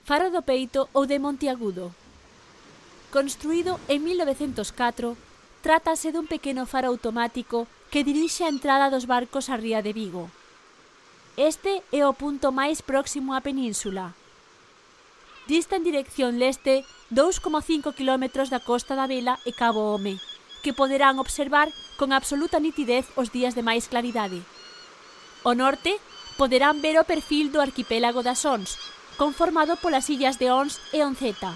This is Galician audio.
Faro do Peito ou de Monteagudo. Construído en 1904, trátase dun pequeno faro automático que dirixe a entrada dos barcos á ría de Vigo. Este é o punto máis próximo á península. Dista en dirección leste 2,5 km da costa da Vela e Cabo Home, que poderán observar con absoluta nitidez os días de máis claridade. Ao norte, poderán ver o perfil do arquipélago das Ons, conformado polas illas de Ons e Onceta.